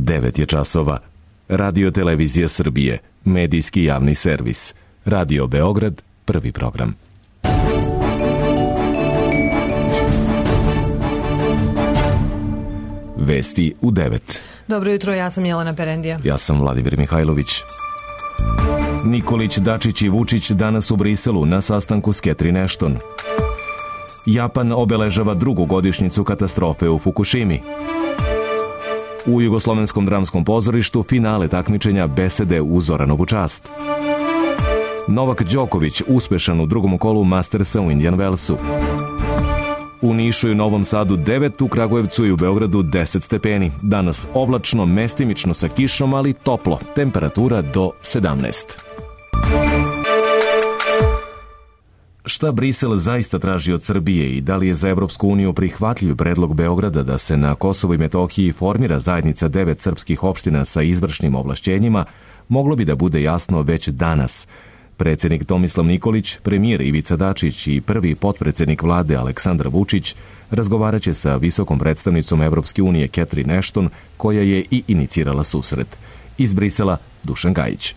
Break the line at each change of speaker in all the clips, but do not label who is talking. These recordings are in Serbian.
9 je časova. Radio Televizija Srbije, medijski javni servis. Radio Beograd, prvi program. Vesti u 9.
Dobro jutro, ja sam Jelena Perendija.
Ja sam Vladimir Mihajlović. Nikolić, Dačić i Vučić danas u Briselu na sastanku s Catherine Ashton. Japan obeležava drugu godišnjicu katastrofe u Fukušimi. U Jugoslovenskom dramskom pozorištu finale takmičenja Besede u Zoranovu čast. Novak Đoković uspešan u drugom kolu Mastersa u Indian Wellsu. U Nišu i Novom Sadu 9, u Kragujevcu i u Beogradu 10 stepeni. Danas oblačno, mestimično sa kišom, ali toplo. Temperatura do 17. Šta Brisel zaista traži od Srbije i da li je za Evropsku uniju prihvatljiv predlog Beograda da se na Kosovu i Metohiji formira zajednica 9 srpskih opština sa izvršnim ovlašćenjima, moglo bi da bude jasno već danas. Predsjednik Tomislav Nikolić, premijer Ivica Dačić i prvi potpredsjednik vlade Aleksandar Vučić razgovaraće sa visokom predstavnicom Evropske unije Catherine Ashton, koja je i inicirala susret. Iz Brisela, Dušan Gajić.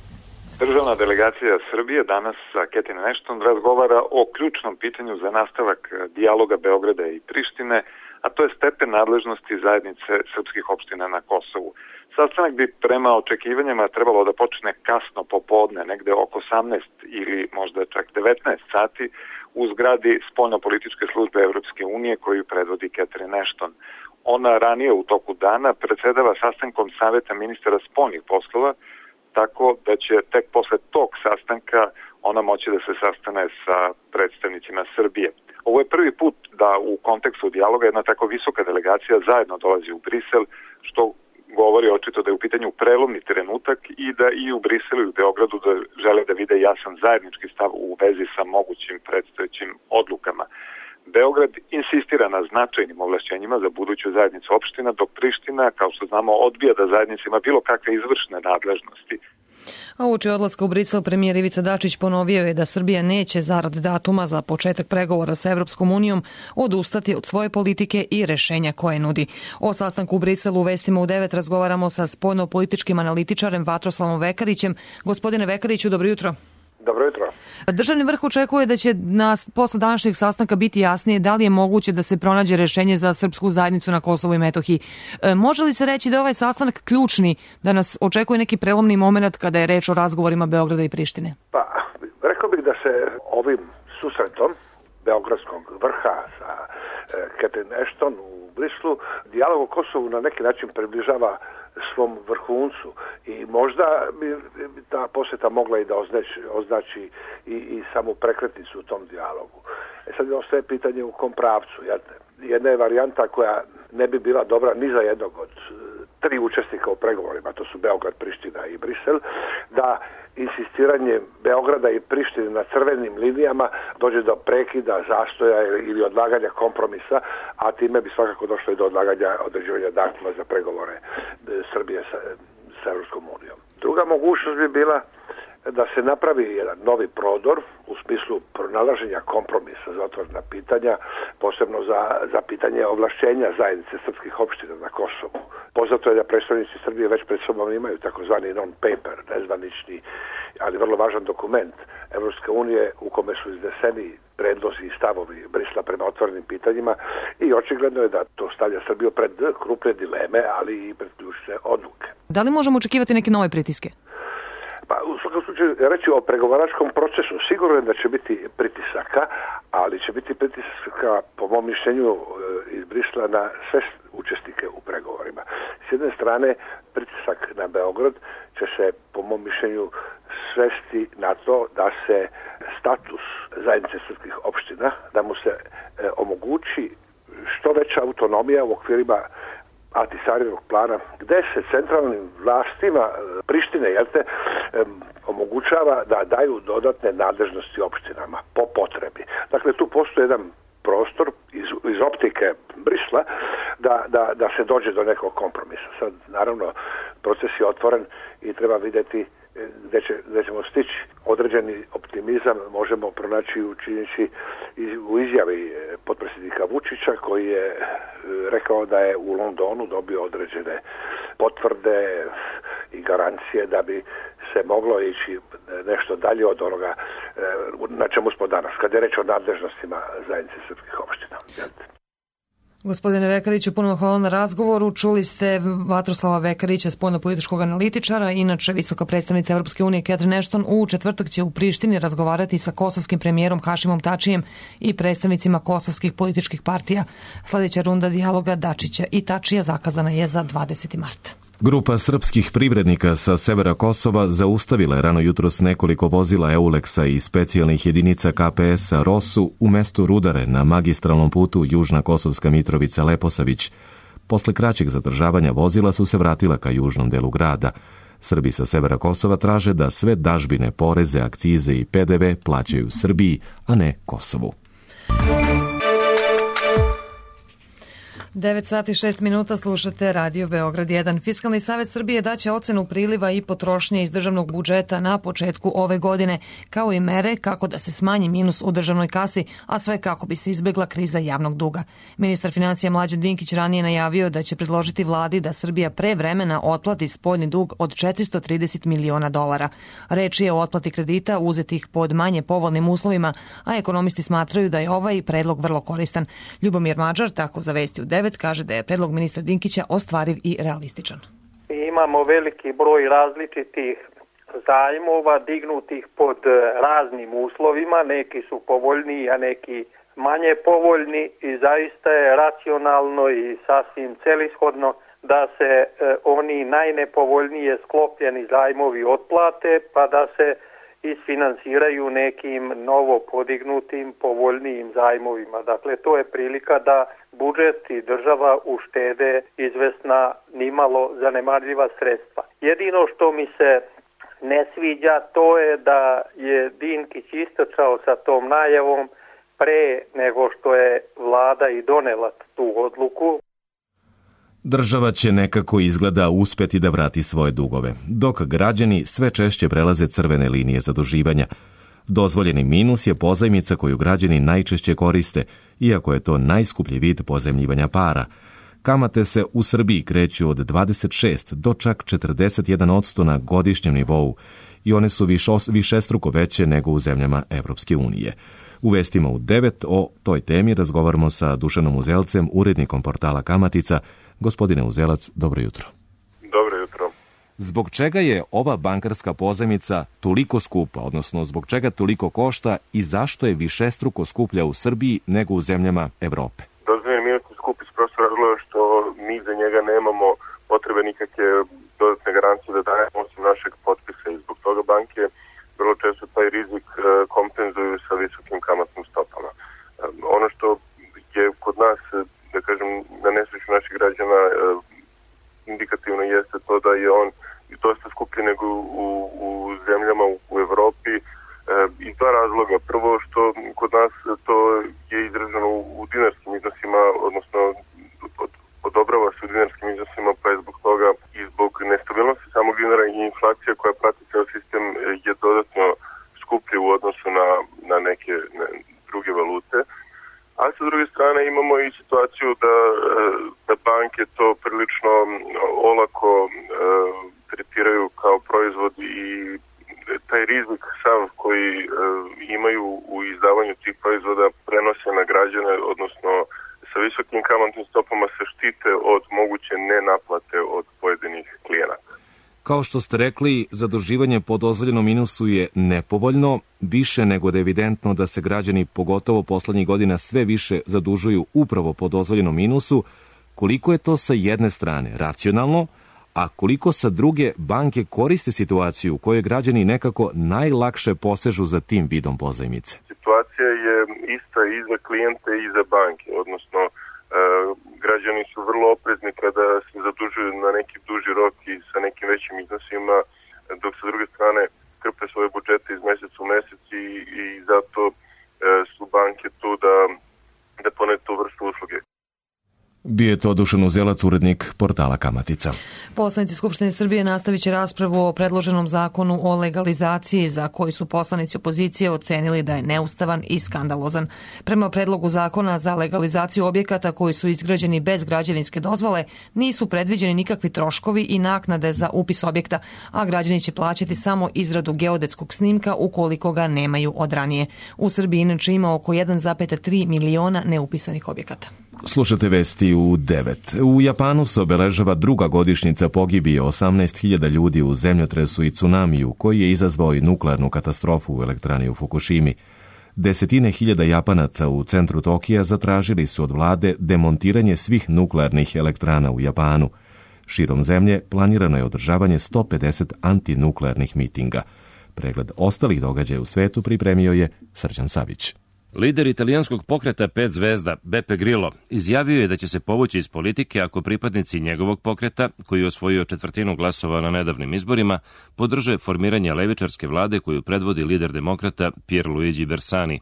Državna delegacija Srbije danas sa Catherine Ashton razgovara o ključnom pitanju za nastavak dijaloga Beograda i Prištine, a to je stepen nadležnosti zajednice srpskih opština na Kosovu. Sastanak bi prema očekivanjima trebalo da počne kasno popodne, negde oko 18 ili možda čak 19 sati u zgradi spoljno-političke službe Evropske unije koju predvodi Catherine Ashton. Ona ranije u toku dana predsedava sastankom Saveta ministara spoljnih poslova, tako da će tek posle tog sastanka ona moći da se sastane sa predstavnicima Srbije. Ovo je prvi put da u kontekstu dijaloga jedna tako visoka delegacija zajedno dolazi u Brisel, što govori očito da je u pitanju prelomni trenutak i da i u Briselu i u Beogradu da žele da vide jasan zajednički stav u vezi sa mogućim predstojećim odlukama. Beograd insistira na značajnim ovlašćenjima za buduću zajednicu opština, dok Priština, kao što znamo, odbija da zajednica ima bilo kakve izvršne nadležnosti.
A uoči odlaska u Brisel premijer Ivica Dačić ponovio je da Srbija neće zarad datuma za početak pregovora sa Evropskom unijom odustati od svoje politike i rešenja koje nudi. O sastanku u Briselu u vestima u 9 razgovaramo sa spoljno-političkim analitičarem Vatroslavom Vekarićem. Gospodine Vekariću, dobro jutro.
Dobro jutro.
Državni vrh očekuje da će posle današnjeg sastanka biti jasnije da li je moguće da se pronađe rešenje za srpsku zajednicu na Kosovu i Metohiji. Može li se reći da je ovaj sastanak ključni, da nas očekuje neki prelomni moment kada je reč o razgovorima Beograda i Prištine?
Pa, rekao bih da se ovim susretom Beogradskog vrha sa Catherine Ashton u Brislu dijalog o Kosovu na neki način približava svom vrhuncu i možda bi ta posjeta mogla i da označi i samu prekretnicu u tom dijalogu. Sad ostaje pitanje u kom pravcu. Jedna je varijanta koja ne bi bila dobra ni za jednog od tri učesnika u pregovorima, to su Beograd, Priština i Brisel, da insistiranje Beograda i Prištine na crvenim linijama dođe do prekida, zastoja ili odlaganja kompromisa, a time bi svakako došlo i do određivanja datuma za pregovore Srbije sa Evropskom unijom. Druga mogućnost bi bila da se napravi jedan novi prodor u smislu pronalaženja kompromisa za otvorena pitanja, posebno za pitanje ovlašćenja zajednice srpskih opština na Kosovu. Poznato je da predstavnici Srbije već pred sobom imaju takozvani non-paper, nezvanični, ali vrlo važan dokument Evropske unije u kome su izneseni predlozi i stavovi Brisla prema otvorenim pitanjima i očigledno je da to stavlja Srbiju pred krupne dileme, ali i pred ključne odluke.
Da li možemo očekivati neke nove pritiske?
Pa, u svakom slučaju, reći o pregovaračkom procesu, sigurno je da će biti pritisaka, ali će biti pritisaka, po mom mišljenju, iz Brisla na sve učesnike u pregovorima. S jedne strane, pritisak na Beograd će se, po mom mišljenju, svesti na to da se status zajednice srpskih opština, da mu se omogući što veća autonomija u okvirima Ahtisarinog plana, gde se centralnim vlastima Prištine omogućava da daju dodatne nadležnosti opštinama po potrebi. Dakle, tu postoji jedan prostor iz optike Brisla da se dođe do nekog kompromisa. Sad, naravno, proces je otvoren i treba vidjeti gde ćemo stići. Određeni optimizam možemo pronaći u izjavi potpredsjednika Vučića, koji je rekao da je u Londonu dobio određene potvrde i garancije da bi se moglo ići nešto dalje od onoga na čemu smo danas, kad je reč o nadležnostima zajednice srpskih opština.
Gospodine Vekariću, puno hvala na razgovoru. Čuli ste Vatroslava Vekarića, spoljnopolitičkog analitičara, inače visoka predstavnica Evropske unije Catherine Ashton u četvrtak će u Prištini razgovarati sa kosovskim premijerom Hašimom Tačijem i predstavnicima kosovskih političkih partija. Sljedeća runda dijaloga Dačića i Tačija zakazana je za 20. marta.
Grupa srpskih privrednika sa severa Kosova zaustavila je rano jutros nekoliko vozila Euleksa i specijalnih jedinica KPS-a Rosu u mestu Rudare na magistralnom putu Južna Kosovska Mitrovica-Leposavić. Posle kraćeg zadržavanja vozila su se vratila ka južnom delu grada. Srbi sa severa Kosova traže da sve dažbine, poreze, akcize i PDV plaćaju Srbiji, a ne Kosovu.
9 sati 6 minuta slušate Radio Beograd 1. Fiskalni savet Srbije daće ocenu priliva i potrošnje iz državnog budžeta na početku ove godine, kao i mere kako da se smanji minus u državnoj kasi, a sve kako bi se izbegla kriza javnog duga. Ministar financija Mlađan Dinkić ranije najavio da će predložiti vladi da Srbija pre vremena otplati spoljni dug od $430 miliona. Reč je o otplati kredita uzetih pod manje povoljnim uslovima, a ekonomisti smatraju da je ovaj predlog vrlo koristan. Ljubomir Mađar tako za Vesti u 9 kaže da je predlog ministra Dinkića ostvariv i realističan.
Imamo veliki broj različitih zajmova dignutih pod raznim uslovima, neki su povoljniji, a neki manje povoljni i zaista je racionalno i sasvim celishodno da se oni najnepovoljnije sklopljeni zajmovi otplate, pa da se isfinansiraju nekim novo podignutim povoljnijim zajmovima. Dakle, to je prilika da budžet i država uštede izvesna nimalo zanemarljiva sredstva. Jedino što mi se ne sviđa to je da je Dinkić istočao sa tom najavom pre nego što je vlada i donela tu odluku.
Država će nekako izgleda uspeti da vrati svoje dugove, dok građani sve češće prelaze crvene linije zaduživanja. Dozvoljeni minus je pozajmica koju građani najčešće koriste, iako je to najskuplji vid pozajmljivanja para. Kamate se u Srbiji kreću od 26 do čak 41% na godišnjem nivou i one su višestruko veće nego u zemljama Evropske unije. U vestima u 9 o toj temi razgovaramo sa Dušanom Uzelcem, urednikom portala Kamatica. Gospodine Uzelac, dobro jutro.
Dobro jutro.
Zbog čega je ova bankarska pozajmica toliko skupa, odnosno zbog čega toliko košta i zašto je višestruko skuplja u Srbiji nego u zemljama Evrope?
Dozvoljeni minus je skup iz prostog razloga što mi za njega nemamo potrebe nikakve dodatne garancije da dajemo osim našeg potpisa i zbog toga banke vrlo često taj rizik kompenzuju sa visokim kamatnim stopama. Ono što je kod nas, da kažem, na nesreću naših građana indikativno jeste to da je on dosta skuplji nego u zemljama u Evropi iz dva razloga. Prvo što kod nas to je izraženo u dinarskim iznosima, odnosno odobrava se u dinarskim iznosima, pa je zbog toga i zbog nestabilnosti samog dinara i inflacija koja prati ceo sistem je dodatno skuplji u odnosu na neke druge valute. A sa druge strane imamo i situaciju da banke to prilično olako tretiraju kao proizvod i taj rizik sam koji imaju u izdavanju tih proizvoda prenose na građane, odnosno sa visokim kamatnim stopama se štite od moguće nenaplate od pojedinih klijenata.
Kao što ste rekli, zaduživanje po dozvoljenom minusu je nepovoljno, više nego da je evidentno da se građani, pogotovo poslednjih godina, sve više zadužuju upravo po dozvoljenom minusu. Koliko je to sa jedne strane racionalno, a koliko sa druge banke koriste situaciju u kojoj građani nekako najlakše posežu za tim vidom pozajmice?
Situacija je ista i za klijente i za banke, odnosno građani su vrlo oprezni kada se zadužuju na neki duži rok i sa nekim većim iznosima, dok sa druge strane krpe svoje budžete iz meseca u mesec i zato su banke tu da ponude tu vrstu usluge.
Bio je to Dušan Uzelac, urednik portala Kamatica.
Poslanici Skupštine Srbije nastavit će raspravu o predloženom zakonu o legalizaciji za koji su poslanici opozicije ocenili da je neustavan i skandalozan. Prema predlogu zakona za legalizaciju objekata koji su izgrađeni bez građevinske dozvole nisu predviđeni nikakvi troškovi i naknade za upis objekta, a građani će plaćati samo izradu geodetskog snimka ukoliko ga nemaju od ranije. U Srbiji inače ima oko 1,3 miliona neupisanih objekata.
Slušate vesti u 9. U Japanu se obeležava druga godišnjica pogibije 18.000 ljudi u zemljotresu i tsunamiju koji je izazvao i nuklearnu katastrofu u elektrani u Fukushimi. Desetine hiljada Japanaca u centru Tokija zatražili su od vlade demontiranje svih nuklearnih elektrana u Japanu. Širom zemlje planirano je održavanje 150 antinuklearnih mitinga. Pregled ostalih događaja u svetu pripremio je Srđan Savić.
Lider italijanskog pokreta 5 zvezda, Beppe Grillo, izjavio je da će se povući iz politike ako pripadnici njegovog pokreta, koji je osvojio 1/4 glasova na nedavnim izborima, podrže formiranje levičarske vlade koju predvodi lider demokrata Pierluigi Bersani.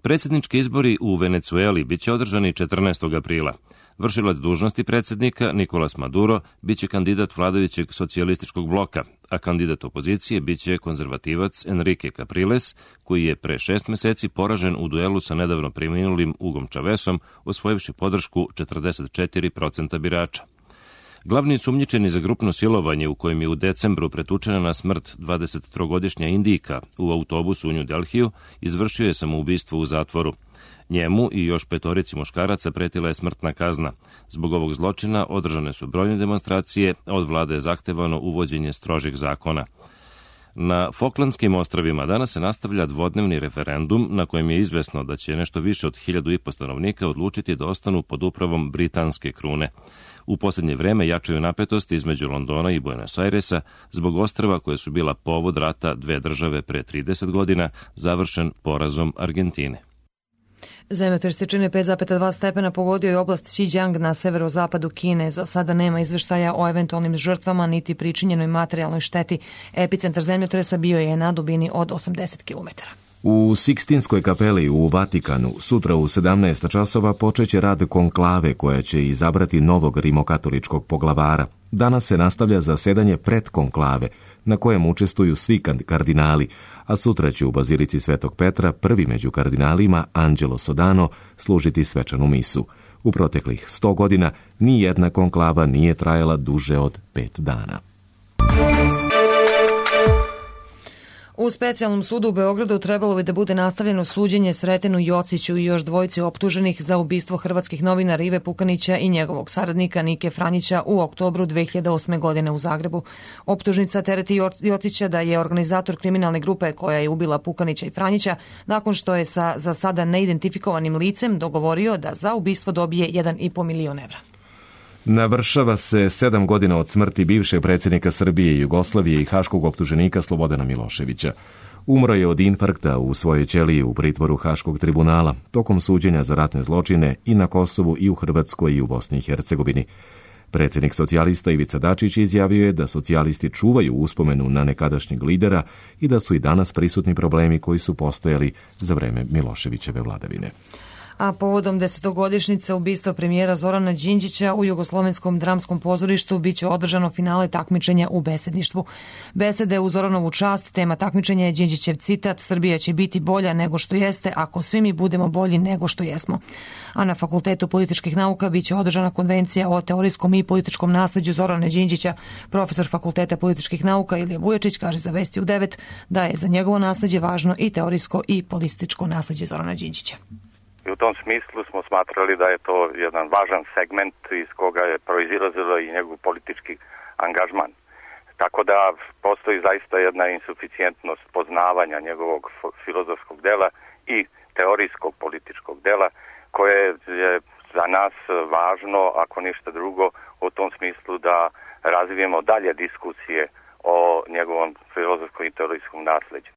Predsjednički izbori u Venecueli biće održani 14. aprila. Vršilac dužnosti predsjednika, Nicolas Maduro, biće kandidat vladajućeg socijalističkog bloka, a kandidat opozicije biće konzervativac Enrique Capriles, koji je pre 6 meseci poražen u duelu sa nedavno preminulim Hugom Chavezom, osvojivši podršku 44% birača. Glavni sumnjičeni za grupno silovanje u kojem je u decembru pretučena na smrt 23-godišnja Indijka u autobusu u New Delhiju, izvršio je samoubistvo u zatvoru. Njemu i još 5 muškaraca pretila je smrtna kazna. Zbog ovog zločina održane su brojne demonstracije, a od vlade je zahtevano uvođenje strožih zakona. Na Falklandskim ostrvima danas se nastavlja dvodnevni referendum na kojem je izvesno da će nešto više od 1.500 stanovnika odlučiti da ostanu pod upravom britanske krune. U posljednje vreme jačaju napetosti između Londona i Buenos Airesa zbog ostrva koje su bila povod rata dve države pre 30 godina, završen porazom Argentine.
Zemljotres jačine 5,2 stepena pogodio je oblast Xinjiang na severozapadu Kine. Za sada nema izveštaja o eventualnim žrtvama niti pričinjenoj materijalnoj šteti. Epicentar zemljotresa bio je na dubini od 80 km.
U Sikstinskoj kapeli u Vatikanu sutra u 17 časova počeće rad konklave koja će izabrati novog rimokatoličkog poglavara. Danas se nastavlja zasedanje pred konklave na kojem učestvuju svi kardinali, a sutra će u Bazilici Svetog Petra prvi među kardinalima, Angelo Sodano, služiti svečanu misu. U proteklih 100 godina ni jedna konklava nije trajala duže od 5 dana.
U specijalnom sudu u Beogradu trebalo bi da bude nastavljeno suđenje Sretenu Jociću i još dvojici optuženih za ubistvo hrvatskih novinara Ive Pukanića i njegovog saradnika Nike Franjića u oktobru 2008. godine u Zagrebu. Optužnica tereti Jocića da je organizator kriminalne grupe koja je ubila Pukanića i Franjića nakon što je sa za sada neidentifikovanim licem dogovorio da za ubistvo dobije 1,5 milion evra.
Navršava se 7 godina od smrti bivšeg predsjednika Srbije i Jugoslavije i haškog optuženika Slobodana Miloševića. Umro je od infarkta u svojoj ćeliji u pritvoru Haškog tribunala tokom suđenja za ratne zločine i na Kosovu i u Hrvatskoj i u Bosni i Hercegovini. Predsjednik socijalista Ivica Dačić izjavio je da socijalisti čuvaju uspomenu na nekadašnjeg lidera i da su i danas prisutni problemi koji su postojali za vreme Miloševićeve vladavine.
A povodom 10-godišnjice ubistva premijera Zorana Đinđića u Jugoslovenskom dramskom pozorištu biće održano finale takmičenja u besedništvu. Besede u Zoranovu čast, tema takmičenja je Đinđićev citat: "Srbija će biti bolja nego što jeste ako svi mi budemo bolji nego što jesmo." A na Fakultetu političkih nauka biće održana konvencija o teorijskom i političkom nasleđu Zorana Đinđića. Profesor Fakulteta političkih nauka Ilija Vujačić kaže za Vesti u 9 da je za njegovo nasleđe važno i teorijsko i političko nasleđe Zorana Đinđića.
I u tom smislu smo smatrali da je to jedan važan segment iz koga je proizilazilo i njegov politički angažman. Tako da postoji zaista jedna insuficijentnost poznavanja njegovog filozofskog dela i teorijskog političkog dela koje je za nas važno, ako ništa drugo, u tom smislu da razvijemo dalje diskusije o njegovom filozofskom i teorijskom nasleđu.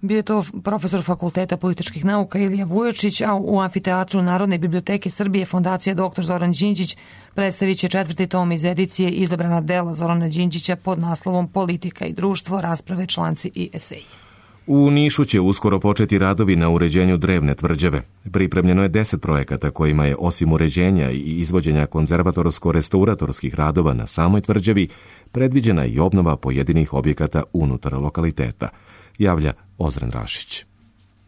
Bio je to profesor Fakulteta političkih nauka Ilija Vujačić, a u Amfiteatru Narodne biblioteke Srbije Fondacija dr. Zoran Đinđić predstavit će 4. tom iz edicije Izabrana dela Zorana Đinđića pod naslovom Politika i društvo, rasprave, članci i eseji.
U Nišu će uskoro početi radovi na uređenju drevne tvrđave. Pripremljeno je 10 projekata kojima je osim uređenja i izvođenja konzervatorsko-restauratorskih radova na samoj tvrđavi predviđena i obnova pojedinih objekata unutar lokaliteta, javlja Ozren Rašić.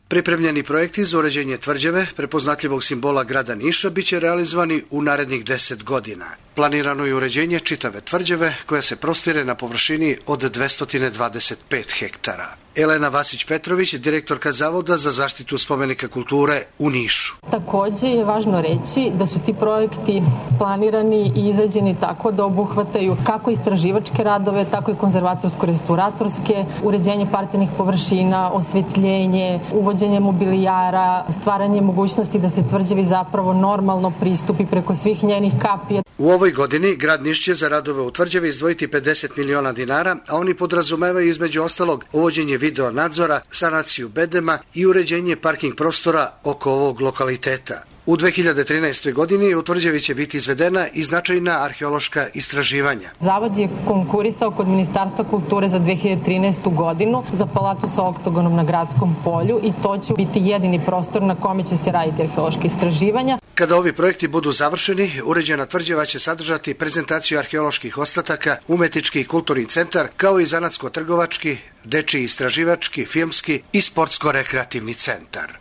Pripremljeni projekti za uređenje tvrđave, prepoznatljivog simbola grada Niša, biće realizovani u narednih 10 godina. Planirano je uređenje čitave tvrđave koja se prostire na površini od 225 hektara. Elena Vasić-Petrović, direktorka Zavoda za zaštitu spomenika kulture u Nišu.
Takođe je važno reći da su ti projekti planirani i izrađeni tako da obuhvataju kako istraživačke radove, tako i konzervatorsko-restauratorske, uređenje parternih površina, osvetljenje, uvođenje mobilijara, stvaranje mogućnosti da se tvrđavi zapravo normalno pristupi preko svih njenih kapija.
U ovoj godini grad Niš će za radove u tvrđavi izdvojiti 50 miliona dinara, a oni podrazumevaju između ostalog uvođenje video nadzora, sanaciju bedema i uređenje parking prostora oko ovog lokaliteta. U 2013. godini u tvrđavi će biti izvedena i značajna arheološka istraživanja.
Zavod je konkurisao kod Ministarstva kulture za 2013. godinu za palatu sa oktogonom na Gradskom polju i to će biti jedini prostor na kome će se raditi arheološka istraživanja.
Kada ovi projekti budu završeni, uređena tvrđava će sadržati prezentaciju arheoloških ostataka, umetnički i kulturni centar, kao i zanatsko-trgovački, dečiji istraživački, filmski i sportsko-rekreativni centar.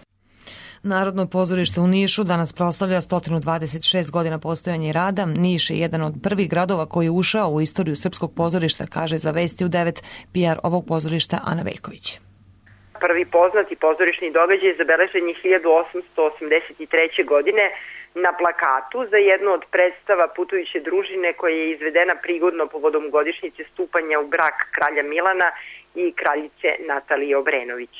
Narodno pozorište u Nišu danas proslavlja 126 godina postojanja i rada. Niš je jedan od prvih gradova koji je ušao u istoriju srpskog pozorišta, kaže za Vesti u 9 PR ovog pozorišta Ana Veljković.
Prvi poznati pozorišni događaj zabeležen je 1883. godine na plakatu za jednu od predstava Putujuće družine koja je izvedena prigodno povodom godišnjice stupanja u brak kralja Milana i kraljice Natalije Obrenović.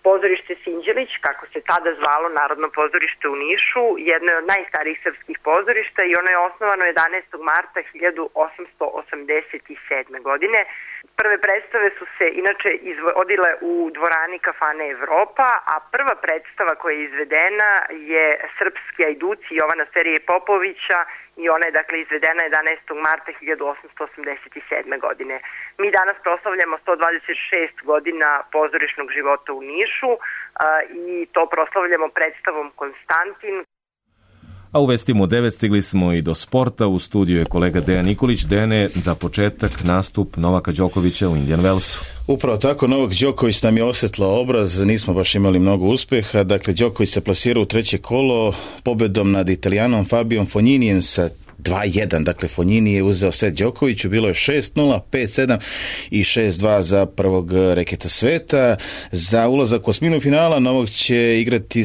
Pozorište Sinđelić, kako se tada zvalo Narodno pozorište u Nišu, jedno je od najstarijih srpskih pozorišta i ono je osnovano 11. marta 1887. godine. Prve predstave su se inače izvodile u dvorani kafane Evropa, a prva predstava koja je izvedena je Srpski ajduci Jovana Serije Popovića i ona je dakle izvedena 11. marta 1887. godine. Mi danas proslavljamo 126 godina pozorišnog života u Nišu i to proslavljamo predstavom Konstantin.
A u Vestima u 9 stigli smo i do sporta. U studiju je kolega Dejan Nikolić. Dejane, za početak nastup Novaka Đokovića u Indian Wellsu.
Upravo tako, Novak Đoković nam je osvetlao obraz, nismo baš imali mnogo uspeha. Dakle, Đoković se plasirao u treće kolo pobedom nad Italijanom Fabijom Fogninijem sa 2-1, dakle Fognini je uzeo set Đokoviću, bilo je 6-0, 5-7 i 6-2 za prvog reketa sveta. Za ulazak u osminu finala Novak će igrati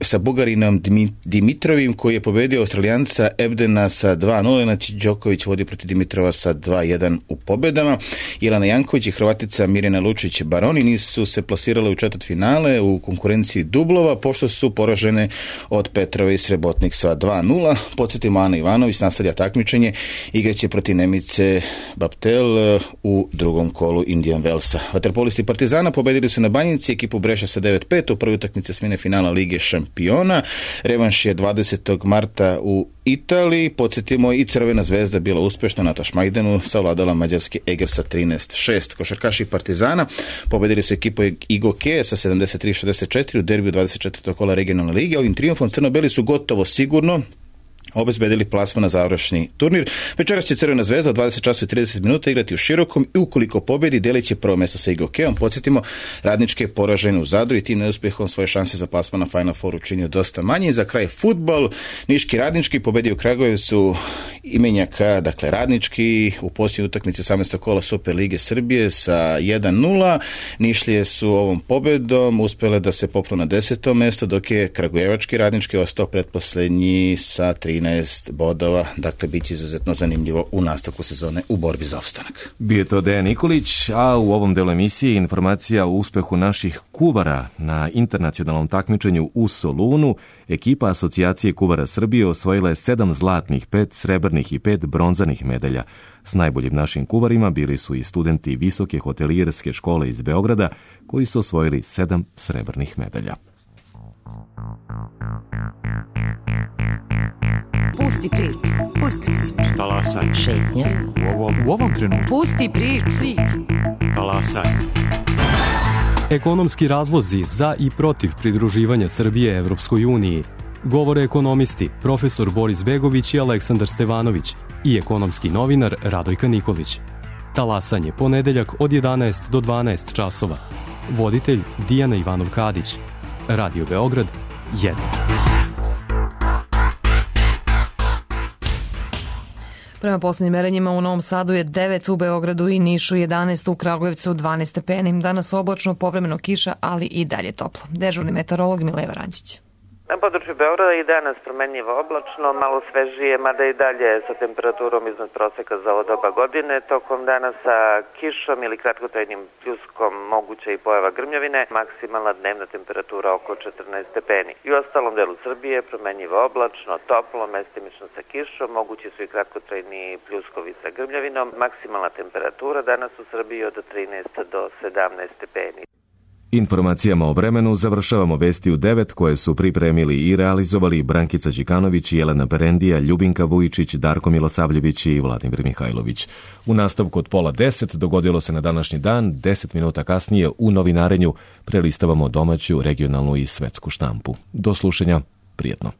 sa Bugarinom Dimitrovim koji je pobedio Australijanca Ebdena sa 2-0, znači Đoković vodi protiv Dimitrova sa 2-1 u pobedama. Jelena Janković i Hrvatica Mirjana Lučić-Baroni nisu se plasirale u četvrtfinale u konkurenciji dublova, pošto su poražene od Petrove i Srebotnik sa 2-0. Podsjetimo, Ana Ivanović nastavlja takmičenje, igraće protiv Nemice Baptel u drugom kolu Indian Wellsa. Vaterpolisti Partizana pobedili su na Banjici ekipu Breša sa 9-5 u prvoj utakmici osmine finala Lige šampiona. Revanš je 20. marta u Italiji. Podsjetimo, i Crvena zvezda bila uspešna na Tašmajdenu, savladala mađarski Eger sa 13-6. Košarkaši Partizana pobedili su ekipu Igoke sa 73-64 u derbiju 24. kola regionalne lige. Ovim trijumfom crno-beli su gotovo sigurno obezbedili plasman na završni turnir. Večeras će Crvena zvezda od 20 časa i 30 minuta igrati u Širokom i ukoliko pobedi delit će prvo mesto sa Igokeom. Podsjetimo, Radnički je poražen u Zadru i tim neuspehom svoje šanse za plasman na Final Four učinio dosta manje. Za kraj fudbal, Niški Radnički pobedio u Kragujevcu imenjaka, dakle Radnički u posljednjoj utakmici 18. kola Super Lige Srbije sa 1-0. Nišlije su ovom pobedom uspjele da se popnu na 10. mesto, dok je Kragujevački Radnički ostao pretposlednji sa 13 bodova, dakle bit će izuzetno zanimljivo u nastavku sezone u borbi za opstanak.
Bio je to Dejan Nikolić, a u ovom delu emisije informacija o uspehu naših kuvara na internacionalnom takmičenju u Solunu. Ekipa Asocijacije kuvara Srbije osvojila je 7 zlatnih, 5 srebrnih i 5 bronzanih medalja. S najboljim našim kuvarima bili su i studenti Visoke hotelijerske škole iz Beograda, koji su osvojili 7 srebrnih medalja.
Pusti priču.
Talasaj.
Šetnja.
U ovom trenutku.
Pusti priču.
Talasaj.
Ekonomski razlozi za i protiv pridruživanja Srbije Evropskoj uniji govore ekonomisti profesor Boris Begović i Aleksandar Stevanović i ekonomski novinar Radojka Nikolić. Talasanje ponedeljak od 11 do 12 časova. Voditelj Dijana Ivanov-Kadić. Radio Beograd 1.
Prema poslednjim merenjima u Novom Sadu je 9, u Beogradu i Nišu 11, u Kragujevcu 12 stepeni. Danas oblačno, povremeno kiša, ali i dalje toplo. Dežurni meteorolog Mileva Rančić.
Na području Beograda i danas promenljivo oblačno, malo svežije, mada i dalje sa temperaturom iznad proseka za ovo doba godine. Tokom dana sa kišom ili kratkotrajnim pljuskom moguća i pojava grmljavine, maksimalna dnevna temperatura oko 14 stepeni. I u ostalom delu Srbije promenljivo oblačno, toplo, mestimično sa kišom, mogući su i kratkotrajni pljuskovi sa grmljavinom. Maksimalna temperatura danas u Srbiji od 13 do 17 stepeni.
Informacijama o vremenu završavamo vesti u 9 koje su pripremili i realizovali Brankica Đikanović, Jelena Perendija, Ljubinka Vujičić, Darko Milosavljević i Vladimir Mihajlović. U nastavku od 9:30 dogodilo se na današnji dan, 10 minuta kasnije u novinarenju prelistavamo domaću, regionalnu i svetsku štampu. Do slušanja, prijatno.